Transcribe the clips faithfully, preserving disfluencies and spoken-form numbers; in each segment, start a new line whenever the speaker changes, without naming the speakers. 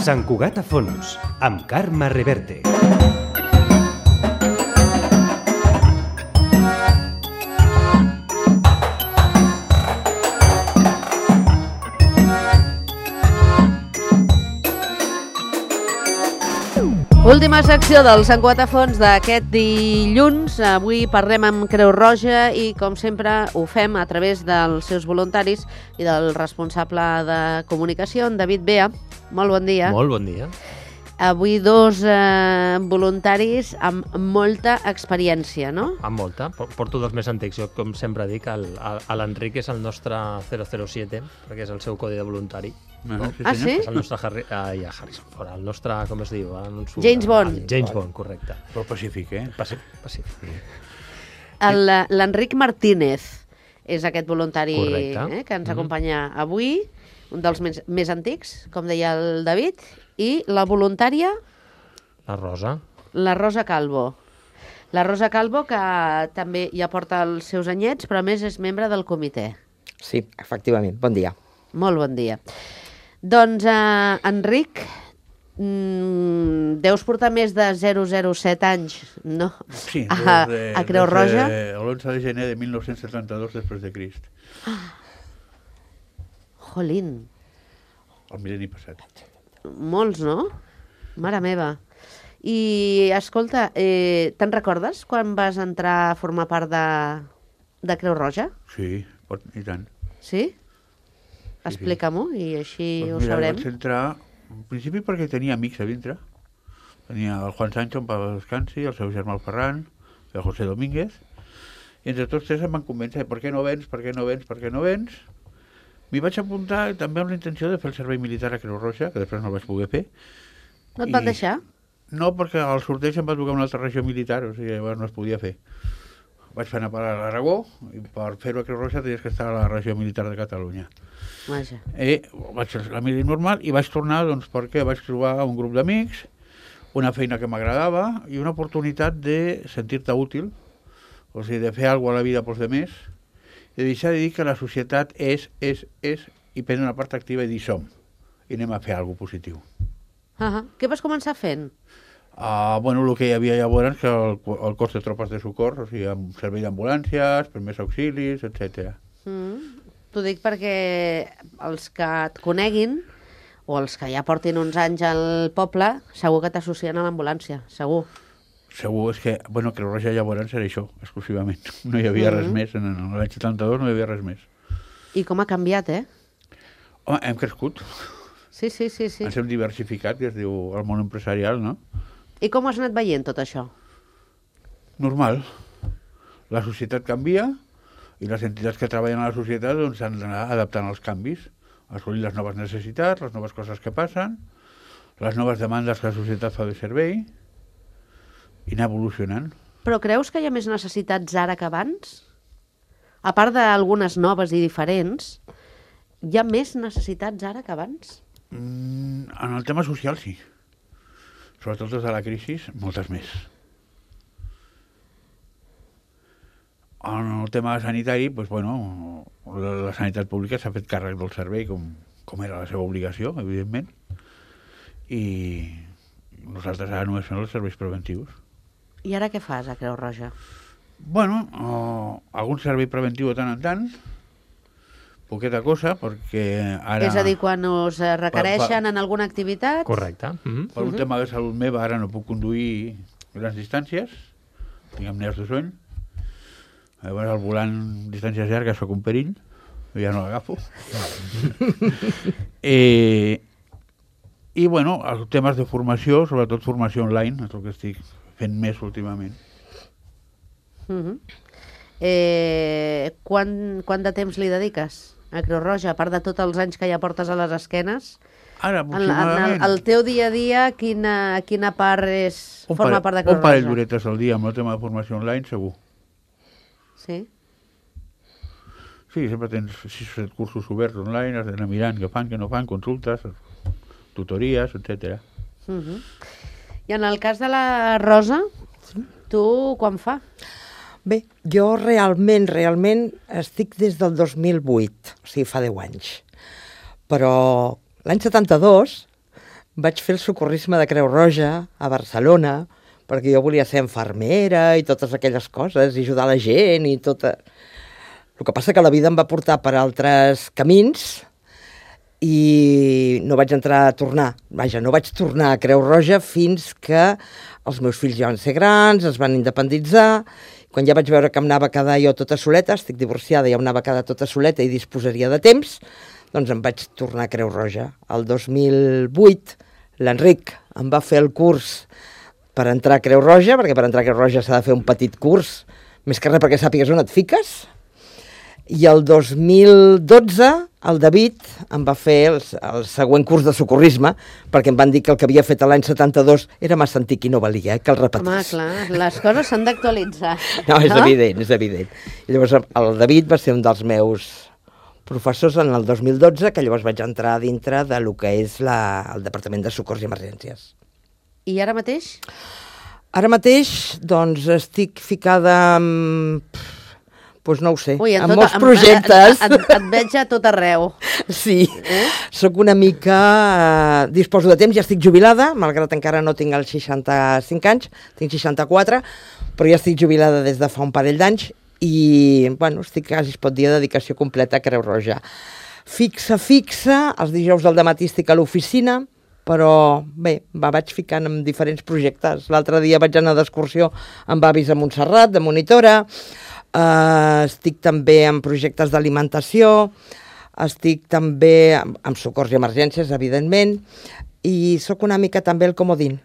Sant Cugat a fons, amb Carme Reverte.
Última secció del Sant Cugat a fons d'aquest dilluns. Avui parlem amb Creu Roja i, com sempre, ho fem a través dels seus voluntaris i del responsable de comunicació, en David Bea. Molt bon dia.
Molt bon dia.
Avui dos eh, voluntaris amb molta experiència, no?
Amb molta. Porto dos més antics. Jo, com sempre dic, l'Enric és el nostre zero zero siete, perquè és el seu codi de voluntari.
No? Ah, sí?
És el nostre Harry... Ah, ja, Harrison Ford. El nostre, com es diu? Su...
James Bond.
Ah, James Bond, correcte.
Però pacífic, eh?
Pacífic, pacífic.
L'Enric Martínez és aquest voluntari eh, que ens acompanya mm-hmm. avui, un dels més, més antics, com deia el David, i la voluntària...
La Rosa.
La Rosa Calvo. La Rosa Calvo, que també ja porta els seus anyets, però a més és membre del comitè.
Sí, efectivament. Bon dia.
Molt bon dia. Doncs, eh, Enric, mm, deus portar més de zero zero set anys, no?
Sí,
a,
de,
a Creu Roja.
l'onze de gener de mil nou-cents setanta-dos després de Crist.
Ah. Jolín.
El mil·lenni passat.
Molts, no? Mare meva. I, escolta, eh, te'n recordes quan vas entrar a formar part de, de Creu Roja?
Sí, pot, i tant.
Sí? Explica-m'ho i així
pues
ho
mira,
sabrem.
Vaig entrar, en principi perquè tenia amics a dintre. Tenia el Juan Sancho, en Pau Descansi, el seu germà el Ferran, el José Domínguez, i entre tots tres em van convèncer, per què no vens, per què no vens, per què no vens? M'hi vaig apuntar també amb la intenció de fer el servei militar a Creu Roja, que després no el vaig poder fer.
No et van deixar?
No, perquè al sorteig em va tocar una altra regió militar, o sigui, llavors no es podia fer. Vaig fer anar per a l'Aragó, i per fer-ho a Creu Roja tenies que estar a la regió militar de Catalunya.
Vaja.
I vaig fer la mili normal i vaig tornar, doncs, perquè vaig trobar un grup d'amics, una feina que m'agradava i una oportunitat de sentir-te útil, o sigui, de fer alguna cosa a la vida pels demés, de deixar de dir que la societat és, és, és, i prendre una part activa i dir som, i anem a fer alguna cosa positiu.
Uh -huh. Què vas començar fent?
Uh, bueno, el que hi havia llavors, que el, el cos de tropes de socors, o sigui, amb servei d'ambulàncies, primers auxilis, etcètera.
Mm. T'ho dic perquè els que et coneguin, o els que ja portin uns anys al poble, segur que t'associen a l'ambulància, segur.
Segur, és que, bueno, Creu Roja llavors era això, exclusivament. No hi havia mm-hmm. res més, en l'any setanta-dos no hi havia res més.
I com ha canviat, eh?
Home, hem crescut.
Sí, sí, sí, sí.
Ens hem diversificat, que es diu el món empresarial, no?
I com has anat veient tot això?
Normal. La societat canvia i les entitats que treballen a la societat doncs, s'han d'anar adaptant als canvis, assolir les noves necessitats, les noves coses que passen, les noves demandes que la societat fa de servei i anar evolucionant.
Però creus que hi ha més necessitats ara que abans? A part d'algunes noves i diferents, hi ha més necessitats ara que abans?
Mm, en el tema social, sí. Sobretot des de la crisi, moltes més. En el tema sanitari, doncs, bueno, la sanitat pública s'ha fet càrrec del servei com, com era la seva obligació, evidentment, i nosaltres ara només fem els serveis preventius.
I ara què fas a Creu Roja?
Bueno, uh, algun servei preventiu de tant en tant, poqueta cosa, perquè ara...
És a dir, quan us requereixen per, per, en alguna activitat?
Correcte. Mm-hmm.
Per un mm-hmm. tema de salut meva, ara no puc conduir grans distàncies, tinc amnèsia de son, llavors al volant distàncies llargues soc un perill, ja no l'agafo. eh, I, bueno, els temes de formació, sobretot formació online, és el que estic fent més últimament.
Mm-hmm. eh, quant, quant de temps li dediques a Creu Roja, a part de tots els anys que ja portes a les esquenes?
Ara, aproximadament...
En, en el, el teu dia a dia, quina, quina part és,
un
forma
pare,
part de Creu Roja?
Un parell d'horetes al dia amb el tema de formació online, segur.
Sí?
Sí, sempre tens sis o set cursos oberts online, has d'anar mirant què fan, què no fan, consultes, tutories, etcètera.
Uh-huh. I en el cas de la Rosa, sí. Tu quan fa?
Bé, jo realment, realment estic des del dos mil vuit, o sigui, fa deu anys. Però l'any setanta-dos vaig fer el socorrisme de Creu Roja a Barcelona, perquè jo volia ser infermera i totes aquelles coses, i ajudar la gent i tota... El que passa que la vida em va portar per altres camins i no vaig entrar a tornar. Vaja, no vaig tornar a Creu Roja fins que els meus fills ja van ser grans, es van independitzar. Quan ja vaig veure que em anava a quedar jo tota soleta, estic divorciada, ja em anava a quedar tota soleta i disposaria de temps, doncs em vaig tornar a Creu Roja. El dos mil vuit l'Enric em va fer el curs per entrar a Creu Roja, perquè per entrar a Creu Roja s'ha de fer un petit curs, més que res perquè sàpigues on et fiques. I el dos mil dotze el David em va fer el, el següent curs de socorrisme, perquè em van dir que el que havia fet l'any setanta-dos era massa antic i no valia, eh, que el repetís.
Home, clar, les coses s'han d'actualitzar.
No, és no? evident, és evident. I llavors el David va ser un dels meus professors en el dos mil dotze, que llavors vaig entrar dintre de lo que és la, el Departament de Socors i Emergències.
I ara mateix?
Ara mateix, doncs, estic ficada amb... Doncs no ho sé,
Ui, en
amb
tot,
molts projectes.
Et, et, et veig a tot arreu.
Sí,
eh?
Soc una mica... Eh, disposo de temps, ja estic jubilada, malgrat encara no tinc els seixanta-cinc anys, tinc seixanta-quatre, però ja estic jubilada des de fa un parell d'anys i, bueno, estic quasi, es pot dir, a dedicació completa a Creu Roja. Fixa, fixa, els dijous del dematí estic a l'oficina, però bé, me vaig ficant en diferents projectes. L'altre dia vaig anar d'excursió amb avis a Montserrat, de monitora. Uh, estic també en projectes d'alimentació, estic també amb, amb socors i emergències, evidentment, i sóc una mica també el comodín.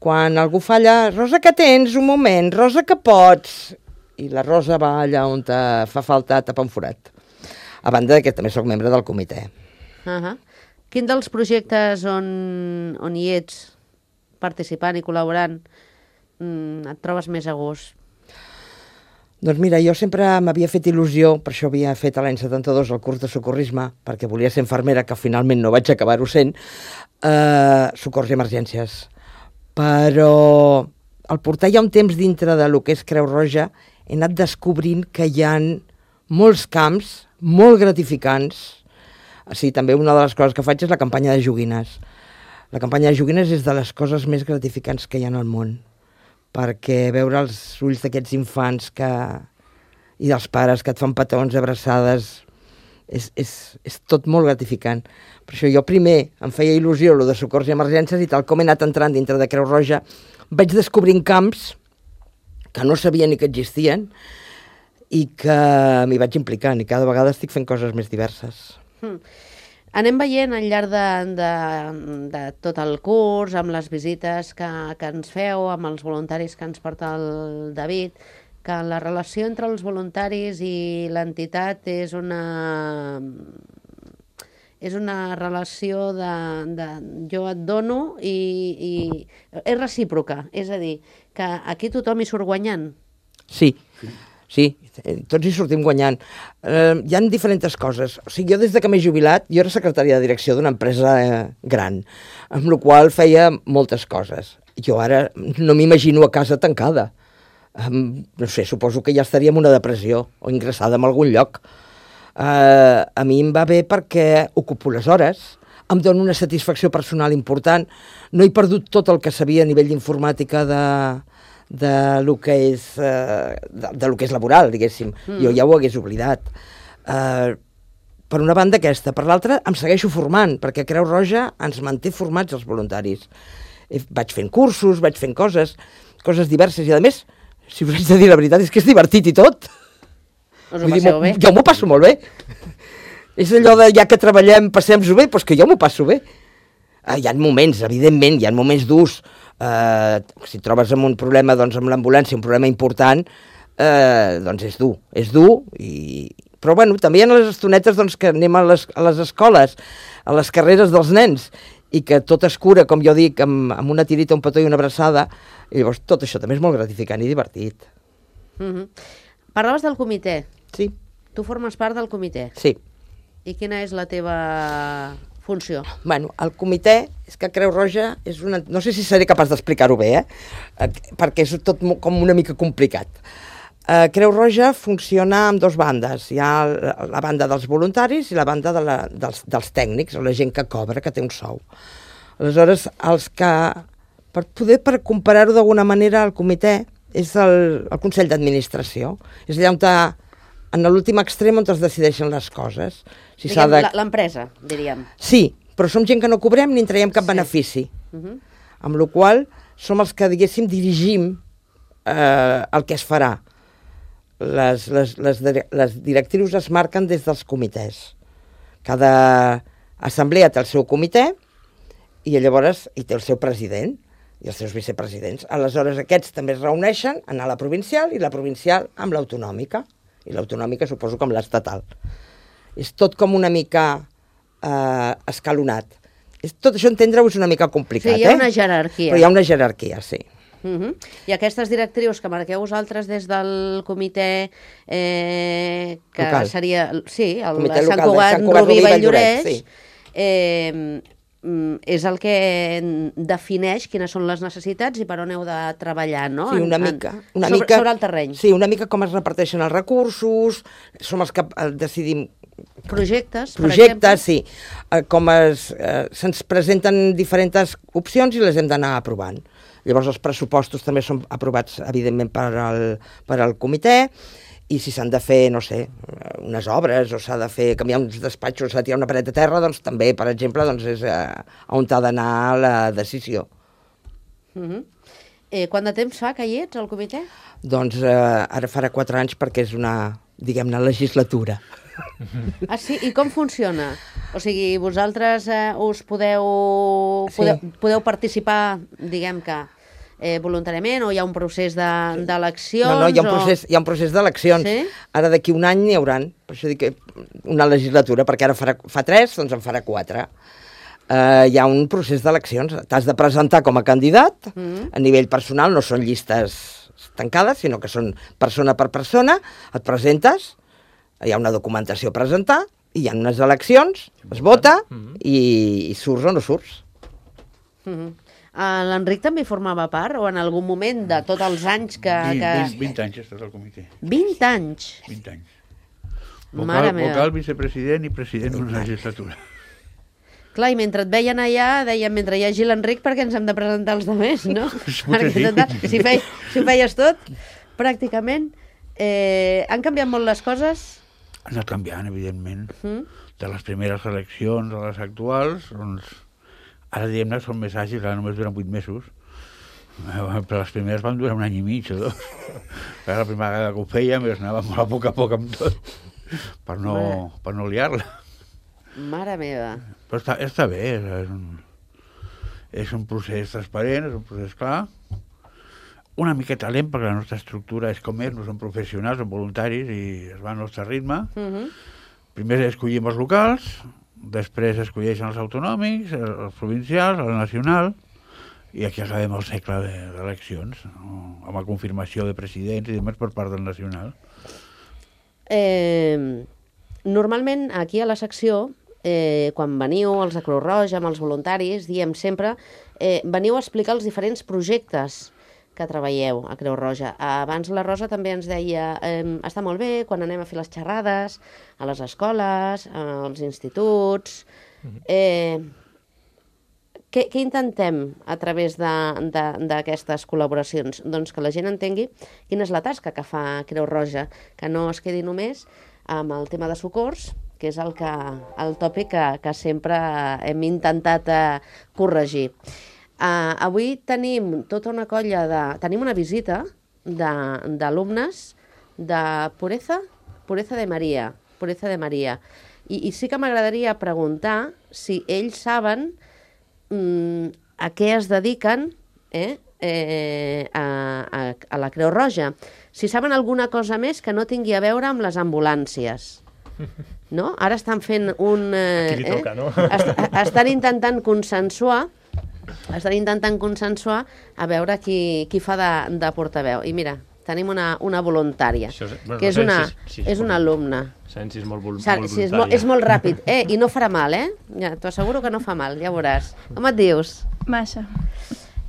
Quan algú falla, Rosa, que tens? Un moment, Rosa, que pots? I la Rosa va allà on te fa falta tapar un forat. A banda que també sóc membre del comitè.
Uh-huh. Quin dels projectes on, on hi ets participant i col·laborant mm, et trobes més a gust?
Doncs mira, jo sempre m'havia fet il·lusió, per això havia fet l'any setanta-dos el curs de socorrisme, perquè volia ser infermera, que finalment no vaig acabar-ho sent, eh, socors i emergències. Però al portar ja un temps dintre de lo que és Creu Roja, he anat descobrint que hi ha molts camps molt gratificants. Sí, també una de les coses que faig és la campanya de joguines. La campanya de joguines és de les coses més gratificants que hi ha al món, perquè veure els ulls d'aquests infants que... i dels pares que et fan petons, abraçades, és, és, és tot molt gratificant. Per això jo primer em feia il·lusió lo de socors i emergències i tal com he anat entrant dintre de Creu Roja vaig descobrint camps que no sabia ni que existien i que m'hi vaig implicant i cada vegada estic fent coses més diverses.
Hmm. Anem veient al llarg de, de, de tot el curs, amb les visites que, que ens feu, amb els voluntaris que ens porta el David, que la relació entre els voluntaris i l'entitat és una, és una relació de, de jo et dono i, i és recíproca, és a dir, que aquí tothom hi surt guanyant.
Sí, sí, tots hi sortim guanyant. Eh, hi ha diferents coses. O sigui, jo des de que m'he jubilat, jo era secretària de direcció d'una empresa eh, gran, amb la qual feia moltes coses. Jo ara no m'imagino a casa tancada. Um, no sé, suposo que ja estaria en una depressió o ingressada en algun lloc. Uh, a mi em va bé perquè ocupo les hores, em dona una satisfacció personal important, no he perdut tot el que sabia a nivell d'informàtica de... de lo que és, uh, de, de lo que és laboral, diguéssim. Mm. Jo ja ho hagués oblidat. Uh, per una banda aquesta. Per l'altra, em segueixo formant, perquè Creu Roja ens manté formats els voluntaris. I vaig fent cursos, vaig fent coses, coses diverses, i a més, si us haig de dir la veritat, és que és divertit i tot.
Us ho passeu bé?
Jo m'ho passo molt bé. És allò de, ja que treballem, passem-ho bé, doncs que jo m'ho passo bé. Uh, hi ha moments, evidentment, hi ha moments durs. Uh, si trobes amb un problema doncs, amb l'ambulància, un problema important, uh, doncs és dur, és dur. I... Però bueno, també hi ha les estonetes doncs, que anem a les, a les escoles, a les carreres dels nens, i que tot es cura, com jo dic, amb, amb una tirita, un petó i una abraçada, i llavors tot això també és molt gratificant i divertit.
Mm-hmm. Parlaves del comitè.
Sí.
Tu formes part del comitè.
Sí.
I quina és la teva funció?
Bueno, el comitè, és que Creu Roja és una... No sé si seré capaç d'explicar-ho bé, eh? Perquè és tot com una mica complicat. Uh, Creu Roja funciona amb dues bandes. Hi ha la banda dels voluntaris i la banda de la, dels, dels tècnics, o la gent que cobra, que té un sou. Aleshores, els que, per poder per comparar-ho d'alguna manera, el comitè és el, el Consell d'Administració. És allà on, te, en l'últim extrem, on es decideixen les coses. Si s'ha
Diguem,
de...
l'empresa, diríem.
Sí, però som gent que no cobrem ni en traiem cap
Sí.
benefici.
Uh -huh.
Amb la qual som els que, diguéssim, dirigim eh, el que es farà. Les, les, les, les directrius es marquen des dels comitès. Cada assemblea té el seu comitè i llavors hi té el seu president i els seus vicepresidents. Aleshores, aquests també es reuneixen, anar a la provincial i la provincial amb l'autonòmica. I l'autonòmica suposo com l'estatal. És tot com una mica eh, escalonat. És, tot això entendre-ho és una mica complicat,
Sí, hi ha
eh?
una jerarquia.
Però hi ha una jerarquia, sí.
Uh -huh. I aquestes directrius que marqueu vosaltres des del comitè eh, que
Local.
seria, sí, el
Comitè
Sant
local de
Cugat,
Sant Cugat,
Rubí,
Rubí,
Valldoreix,
Valldoreix, sí.
eh, mm, és el que defineix quines són les necessitats i per on heu de treballar, no?
Sí, una
En- en-
mica. Una
sobre,
mica
sobre el terreny.
Sí, una mica com es reparteixen els recursos, som els que eh, decidim
Projectes, per
projectes,
exemple.
sí. Eh, com es, eh, se'ns presenten diferents opcions i les hem d'anar aprovant. Llavors els pressupostos també són aprovats, evidentment, per al, per al comitè, i si s'han de fer, no sé, unes obres, o s'ha de fer, canviar uns despatxos, s'ha de tirar una paret de terra, doncs també, per exemple, doncs és eh, on ha d'anar la decisió.
Uh -huh. eh, quant de temps fa que hi ets, al comitè?
Doncs eh, ara farà quatre anys perquè és una, diguem-ne, legislatura.
Ah, sí? I com funciona? O sigui, vosaltres eh, us podeu,
Sí.
podeu, podeu participar, diguem que, eh, voluntàriament, o hi ha un procés de- d'eleccions?
No, no, hi ha un
o-
procés, hi ha un procés d'eleccions.
Sí?
Ara d'aquí un any n'hi hauran, per això dic que una legislatura, perquè ara farà, fa tres, doncs en farà quatre. Uh, hi ha un procés d'eleccions. T'has de presentar com a candidat,
Mm.
a nivell personal, no són llistes tancades, sinó que són persona per persona, et presentes, hi ha una documentació a presentar, i hi ha unes eleccions, es vota, i, i surts o no surts.
Uh -huh. uh, L'Enric també formava part, o en algun moment de tots els anys que...
vint,
que...
vint, vint anys he estat al comitè.
vint anys?
vint anys.
Mare
Vocal,
meva.
vocal, vicepresident i president d'una legislatura.
Clar, i mentre et veien allà, deien, mentre hi hagi l'Enric, perquè ens hem de presentar els altres, no? Perquè
sí.
total, si, fei, si ho feies tot, pràcticament, eh, han canviat molt les coses?
Ha anat canviant, evidentment.
Mm?
De les primeres eleccions a les actuals, doncs, ara diguem-ne són més àgils, ara només duren vuit mesos. Eh, Però les primeres van durar un any i mig o dos. Era la primera vegada que ho fèiem i es anava molt a poc a poc amb tot, per no, per no liar-la.
Mare meva.
Però està, està bé, és un, és un procés transparent, és un procés clar, una miqueta lent perquè la nostra estructura és com és, no som professionals, som voluntaris i es va al nostre ritme.
Uh -huh.
Primer escollim els locals, després escolleixen els autonòmics, els provincials, el nacional, i aquí acabem el segle de- d'eleccions, no? Amb la confirmació de presidents i demés per part del nacional.
Eh, normalment, aquí a la secció, eh, quan veniu els de Creu Roja amb els voluntaris, diem sempre, eh, veniu a explicar els diferents projectes que treballeu a Creu Roja. Abans la Rosa també ens deia, eh, està molt bé quan anem a fer les xerrades a les escoles, als instituts... Eh, què, què intentem a través d'aquestes col·laboracions? Doncs que la gent entengui quina és la tasca que fa Creu Roja, que no es quedi només amb el tema de socors, que és el, que, el tòpic que, que sempre hem intentat eh, corregir. Uh, avui tenim tota una colla de... Tenim una visita d'alumnes de, de Pureza, Pureza de Maria, Pureza de Maria. I, i sí que m'agradaria preguntar si ells saben mm, a què es dediquen eh, eh, a, a, a la Creu Roja. Si saben alguna cosa més que no tingui a veure amb les ambulàncies. No? Ara estan fent un... Eh,
Aquí li toca,
eh?
no?
Est estan intentant consensuar estan intentant consensuar a veure qui, qui fa de, de portaveu. I mira, tenim una, una voluntària,
Això és- bueno,
que és
no sé
una,
si és- si és
és una
molt-
alumna.
Sabem si és molt, vol,
Sa-
molt
sí, és, molt,
voluntària.
és molt ràpid, eh? I no farà mal, eh? Ja, t'ho asseguro que no fa mal, ja veuràs. Com et dius?
Massa.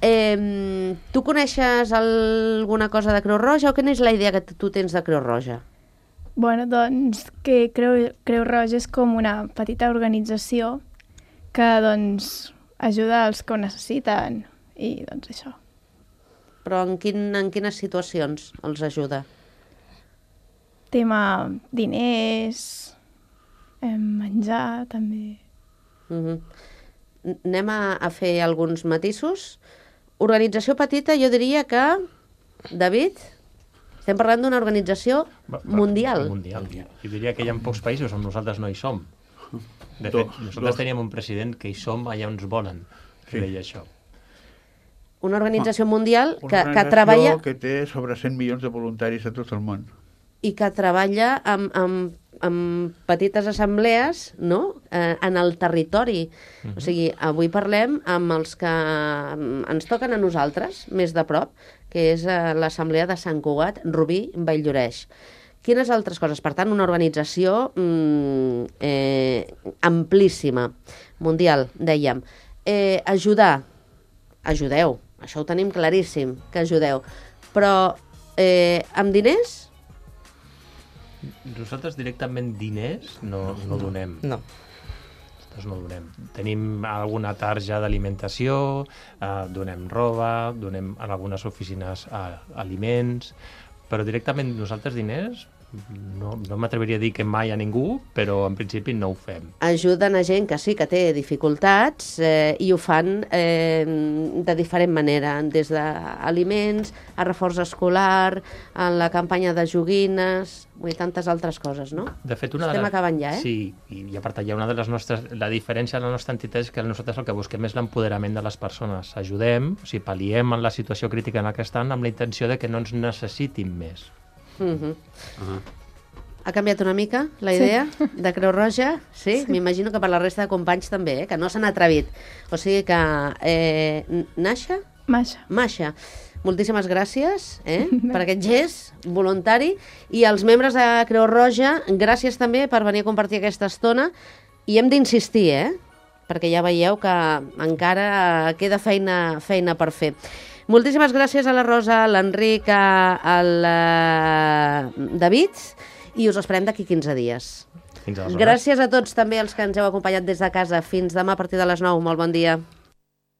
Eh, tu coneixes alguna cosa de Creu Roja o quina és la idea que tu tens de Creu Roja?
Bueno, doncs que Creu, Creu Roja és com una petita organització que doncs ajuda als que ho necessiten i doncs això.
Però en, quin, en quines situacions els ajuda?
Tema diners, eh, menjar també.
Uh-huh. Anem a, a fer alguns matisos. Organització petita, jo diria que, David, estem parlant d'una organització
Va- va-
mundial.
Mundial. Jo diria que hi ha pocs països on nosaltres no hi som. De fet,
Dos,
nosaltres
dos.
teníem un president que hi som allà on ens volen, que
Sí.
deia això.
Una organització mundial
Una
que, que
organització
treballa
que té sobre cent milions de voluntaris a tot el món.
i que treballa amb, amb, amb petites assemblees, no?, eh, en el territori.
Mhm.
O sigui, avui parlem amb els que mm, ens toquen a nosaltres, més de prop, que és eh, l'Assemblea de Sant Cugat, Rubí, Valldoreix. Quines altres coses? Per tant, una organització mm, eh, amplíssima, mundial, dèiem. Eh, ajudar, ajudeu, això ho tenim claríssim, que ajudeu. Però eh, amb diners?
Nosaltres directament diners no, no donem.
No.
Nosaltres no donem. Tenim alguna tarja d'alimentació, eh, donem roba, donem en algunes oficines eh, aliments, però directament nosaltres diners no, no m'atreviria a dir que mai a ningú, però en principi no ho fem.
Ajuden a gent que sí que té dificultats eh, i ho fan eh, de diferent manera, des d'aliments, a reforç escolar, en la campanya de joguines, i tantes altres coses, no?
De fet, una
Estem
de les...
acabant ja, eh?
Sí, i, i a part allà una de les nostres... La diferència de la nostra entitat és que nosaltres el que busquem és l'empoderament de les persones. Ajudem, o sigui, pal·liem en la situació crítica en la que estan amb la intenció de que no ens necessitin més.
Uh -huh. Uh -huh. Ha canviat una mica la idea sí. de Creu Roja? Sí? sí. M'imagino que per la resta de companys també, eh? Que no s'han atrevit. O sigui que... Eh, Nasha?
Masha.
Masha, moltíssimes gràcies eh, per aquest gest voluntari, i als membres de Creu Roja, gràcies també per venir a compartir aquesta estona, i hem d'insistir, eh? Perquè ja veieu que encara queda feina, feina per fer. Moltíssimes gràcies a la Rosa, a l'Enric, al uh, David, i us esperem d'aquí quinze dies.
Fins aleshores.
Gràcies a tots també els que ens heu acompanyat des de casa. Fins demà a partir de les nou. Molt bon dia.